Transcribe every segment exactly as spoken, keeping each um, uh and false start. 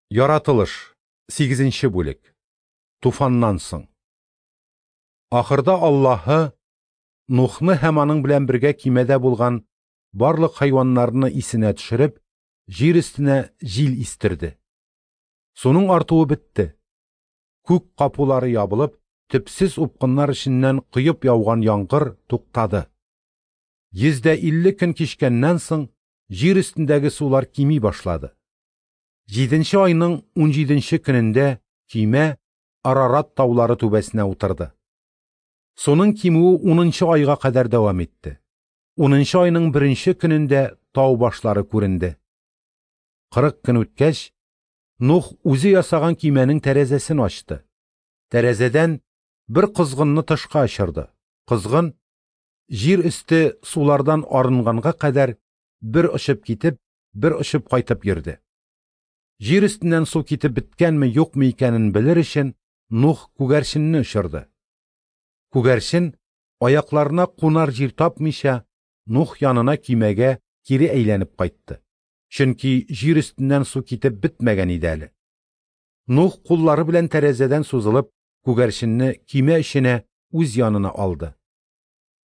Яратылыш, сигезенче бүлек. Туфаннан соң. Ахырда Аллаһы Нухны һәм аның белән бергә көймәдә булган барлык хайваннарны исенә төшереп, җир өстенә җил истерде. Суның артуы бетте. Күк капулары ябылып, төпсез упкыннар эченнән коеп яуган яңгыр туктады. Йөз дә илле көн кичкәннән соң җир өстендәге сулар кими башлады. Җиденче айның унҗиденче көнендә көймә Арарат таулары түбәсенә утырды. Суның кимүе унынчы айга кадәр дәвам итте. Унынчы айның беренче көнендә тау башлары күренде. Кырык көн үткәч, Нух үзе ясаган көймәнең тәрәзәсен ачты. Тәрәзәдән бер козгынны тышка очырды. Козгын җир өсте сулардан арынганга кадәр бер очып китеп, бер очып кайтып йөрде. Җир өстеннән су китеп беткәнме, юкмы икәнен белер өчен Нух күгәрченне очырды. Күгәрчен аякларына кунар җир тапмыйча Нух янына көймәгә кире әйләнеп кайтты. Чөнки җир өстеннән су китеп бетмәгән иде әле. Нух куллары белән тәрәзәдән сузылып күгәрченне көймә эченә үз янына алды.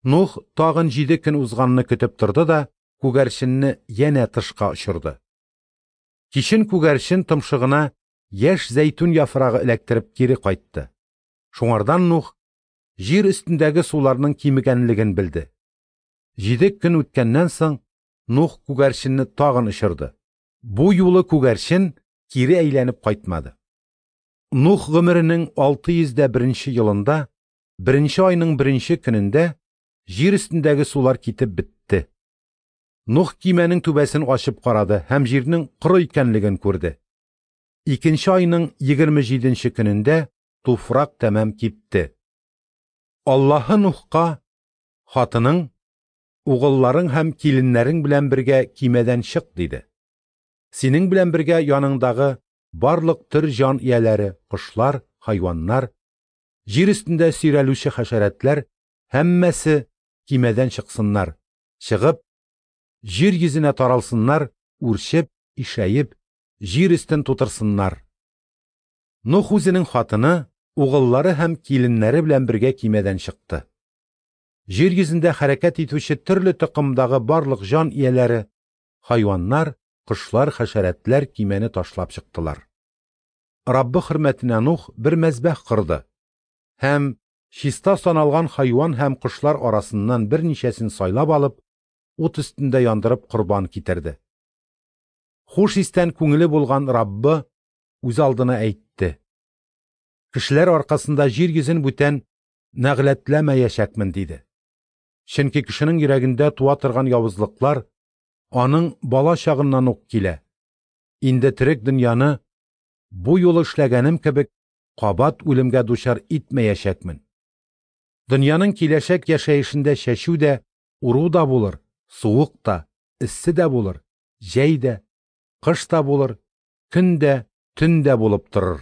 Нух тагын җиде көн узганны көтеп торды да күгәрченне янә тышка очырды. Кичен күгәрчен томшыгына яшь зәйтүн яфрагы эләктереп кире кайтты. Шуңардан Нух җир өстендәге суларның кимегәнлеген белде. Җиде көн үткәннән соң Нух күгәрченне тагын очырды. Бу юлы күгәрчен кире әйләнеп кайтмады. Нух гомеренең алты йөз дә беренче елында, беренче айның беренче көнендә җир өстендәге сулар китеп бетте. Нух көймәнең түбәсен ачып карады һәм җирнең коры икәнлеген күрде. Икенче айның егерме җиденче көнендә туфрак тәмам кипте. Аллаһы Нухка: "Хатының, угылларың һәм киленнәрең белән бергә көймәдән чык", диде. "Синең белән бергә яныңдагы барлык төр җан ияләре, кошлар, хайваннар, җир өстендә сөйрәлүче хәшәрәтләр һәммәсе көймәдән чыксыннар, чыгып, җир йөзенә таралсыннар, үрчеп, ишәеп, җир өстен тутырсыннар". Нух үзенең хатыны, угыллары һәм киленнәре белән бергә көймәдән чыкты. Җир йөзендә хәрәкәт итүче төрле токымдагы барлык җан ияләре, хайваннар, кошлар, хәшәрәтләр көймәне ташлап чыктылар. Раббы хөрмәтенә Нух бер мәзбәх корды һәм чиста саналган хайван һәм кошлар арасыннан берничәсен сайлап алып, ут өстендә яндырып корбан китерде. Хуш истән күңеле булган Раббы үз алдына әйтте: "Кешеләр аркасында җир йөзен бүтән нәгъләтләмәячәкмен", диде. Чөнки кешенең йөрәгендә туа торган явызлыклар аның бала чагыннан ук килә. Инде терек дөньяны бу юлы эшләгәнем кебек кабат үлемгә дучар итмәячәкмен. Дөньяның киләчәк яшәешендә чәчү дә, уру да булыр, суык та, эссе дә булыр, җәй дә, кыш та булыр, көн дә, төн дә булып торыр.